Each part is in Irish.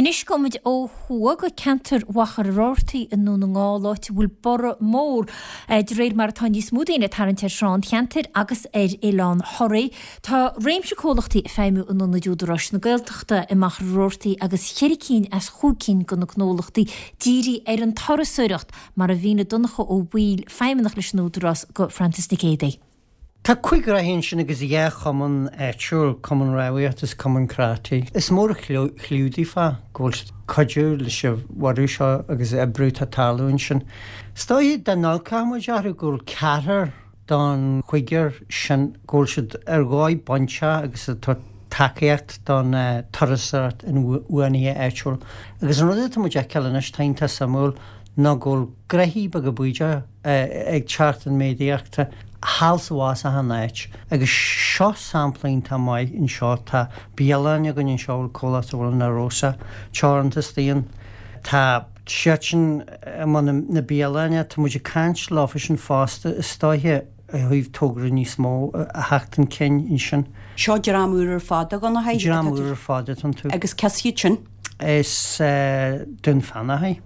Anois gabhfaimid ó thuaidh go ceantar Mhachaire Rabhartaigh i nDún na nGall, áit a bhfuil borradh mór de réir mar atá níos mó daoine ag tarraingt ar thrá an cheantair agus ar oileán Thoraí. Tá réimse comhlachtaí ag feidhmiú in ionaid Údaráis na Gaeltachta i Machaire Rabhartaigh agus cheithre cinn as chúig cinn de na gnólachtaí dírithe ar an turasóireacht, mar a mhínigh Donncha Ó Baoill, feidhmeannach leis an Údarás, go Francis Nic Géadaigh. Tá cúig ghraithí ansin agus 2 chumann áitiúil, Cumann Rámhaíochta is Cumann Karate. Is mór an chliú daofa go bhfuil siad ag cuidiú leis an bhorradh seo agus oibriú atá ag tarlú ansin. Is dóiche dá n-amharcfadh muid orthu go bhfuil ceathrar don chúigear sin go bhfuil siad ar dhóigh bainteach agus ag tabhairt tacaíocht don turasóireacht inbhuanaithe áitiúil. Agus an rud atá muid a fheiceáil anois, tá iontach suimiúil, ná go bhfuil gnoithí beaga bídeacha ag teacht chun méadaíochta thall is abhus achan áit. Agus seo sampla iontach maith anseo, tá bialann againn anseo a bhfuil comhlacht a bhfuil Na Rosa teoranta istigh ann. Tá siadsan i mbun na bialainne, tá muid ag caint leofa sin fosta is dóiche ó thaobh togra níos mó a theacht chun cinn ansin. Seo dream úr ar fad, a Dhonncha. Dream úr ar fad atá iontu. Agus cé as iad sin? Is Dún Feanach é.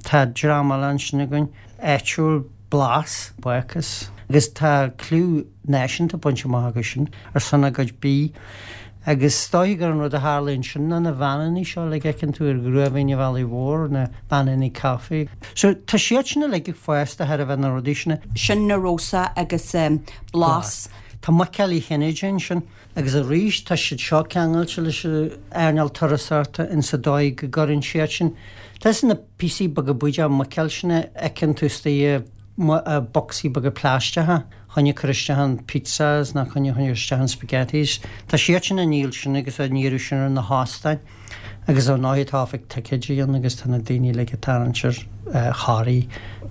Tá dream eile ansin againn, áitiúil, Blas, Bácús, agus tá clú náisiúnta bainte amach acu sin ar son a gcuid bídh. Agus is dóiche gur an rud a tharla ansin ná na veaineanna seo uilig a fheiceann tú ar Ghruamhaoine an Bhealaigh Mhóir, na veaineanna caife. So tá siad sin uilig ag fás de thairbhe na rudaí sin. Sin Na Rosa agus Blas. Tá Muiceáil Uí Chinnéide ansin. Agus arís, tá siad seo ceangailte leis an earnáil turasóireachta in sa dóigh go gcuireann siad sin, tá na píosaí beaga bídeacha muiceáil sin a fheiceann tú istigh i mbocsaí beaga plaisteacha chun cur isteach in pizzas nó chun cur isteach in spaghettis. Tá siad sin á ndíol sin agus á n-iarraidh sin ar na hóstáin. Agus ar ndóigh tá oifig ticéidí ann agus tá na daoine uilig ag tarraingt ar Thoraí.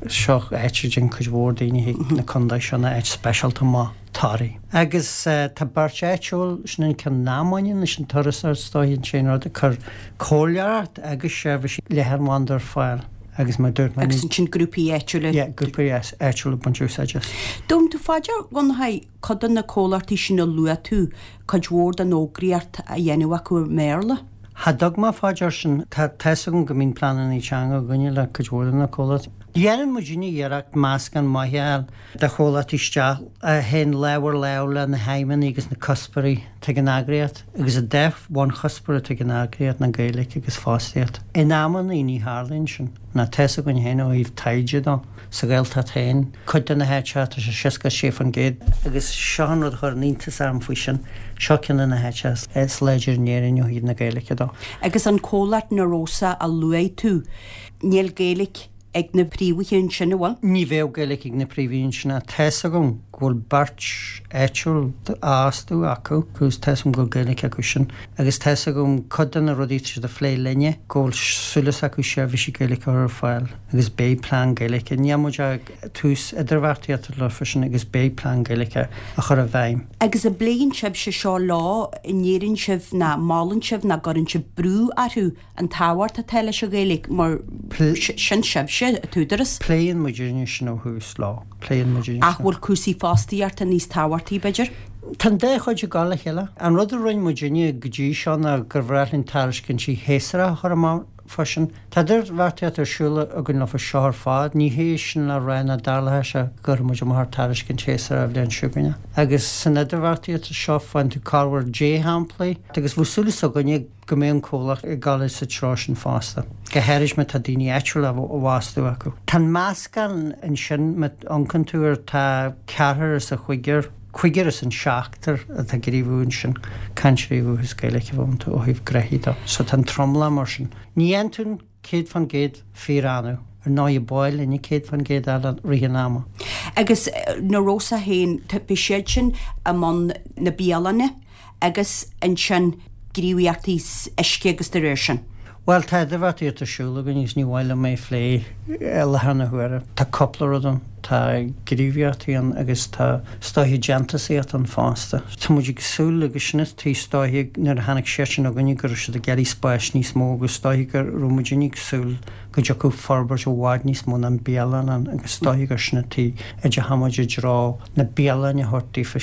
Seo áit a dtéann cuid mhór daoine chuig na contae seo, nó áit speisialta amuigh, Toraí. Agus tá beirt áitiúil, sin an ceann nach mbaineann leis an turasóireacht is dóiche, an t-aon rud, ag cur comhairleoireacht agus seirbhísí leathanbhanda ar fáil agus mar dúirt mé, Agus ansin grúpaí áitiúla. Yeah, grúpaí áitiúla ag baint úsáid as. Dtabharann tú fá dear, a Dhonncha, cuid de na comhlachtaí sin a luaigh tú, cuid mhór den fhógraíocht á dhéanamh acu i mBéarla. Cha dtug mé fá dear sin. Tá 'fhios agam go mbíonn pleananna teanga againne le cuid mhór de na comhlachtaí. Dhéanann muidinne iarracht meascán maith a fháil de chomhlachtaí isteach a théann lámh ar lámh le na haidhmeanna agus na cuspóirí atá ag an eagraíocht agus an dá bhunchuspóir atá ag an eagraíocht ná Gaeilge agus fostaíocht. In amannaí ní tharlaíonn sin. Ná tá 'fhios againn féin ó thaobh taighde dó. Sa Ghaeltacht féin, cuid de na háiteacha, tá sé 66%. Agus seo an rud a chuireann iontas orm faoi sin, seo ceann de na háiteacha is láidre in Éirinn ó thaobh na Gaeilge dó. Agus an comhlacht Na Rosa a luaigh tú, níl Gaeilge ag na príomhaithe ansin, an bhfuil? Ní bheadh Gaeilge ag na príomhaithe ansin ach tá 'fhios agam go bhfuil beirt áitiúil á fhostú acu agus tá 'fhios agam go bhfuil Gaeilge acu sin. Agus tá 'fhios agam cuid de na rudaí atá siad a phlé linne, go bhfuil súil acu seirbhísí Gaeilge a chur ar fáil. Agus beidh plean Gaeilge. Níl muid ag tús idirbheartaíochta leofa sin agus beidh plean Gaeilge á chur i bhfeidhm. Agus an bpléann sibhse seo leo, an ndeireann sibh ná molann sibh ná gcuireann sibh brú orthu an tábhacht atá leis an Ghaeilge mar sin sibhse, an tÚdarás? Pléann muidinne sin ó thús leo. Pléann muidinne sin. Ach bhfuil cúrsaí fostaíochta níos tábhachtaí, b'fhéidir? Tá an dá chuid ag dul le chéile. An rud a rinne muidinne go dtí seo ná gur bhreá linn tairiscintí shéasúracha a chur amach. freisin. Tá idirbheartaíocht ar siúl againn leofa seo ar fad. Ní hé sin le rá nach dtarlóidh sé go gcuirfidh muid amach ar tairiscint shéasúrach an bhliain seo chugainn. Agus san idirbheartaíocht seo faigheann tú corruair dea-shamplaí agus bheadh súil s'againne go mbeadh an comhlacht ag dul sa treo sin fosta, go háirid má tá daoine áitiúla á bhfostú acu. Tá an meascán ansin, má amharcann tú air, tá ceathrar as an chúigear, cúigear as an seachtar atá ag gníomhú ansin, cainteoirí ó dhúchas Gaeilge a bheadh iontu ó thaobh gnoithí de. So tá an tromlach mar sin. Ní dhéanann tú 100% fíor-annamh. Ar ndóigh ba áil linn 100% a fháil i rith an ama. Agus Na Rosa féin, beidh siad sin i mbun na bialainne agus ansin gníomhaíochtaí uisce agus de réir sin. Bhuel, tá idirbheartaíocht ar siúl againn agus ní mhaith liom é a phlé i láthair na huaire. Tá cúpla rud ann. Tá gníomhaíochtaí ann agus tá is dóiche déantúsaíocht ann fosta. Tá muid ag súil agus sin an tuige is dóiche nuair a tháinig siadsan chugainne go raibh siad ag iarraidh spáis níos mó agus is dóiche go raibh muidinne ag súil go dtiocfadh forbairt i bhfad níos mó ná an bialann ann agus is dóiche gur sin an tuige a dteachaigh muid i dtreo na bialainne a thabhairt daofa.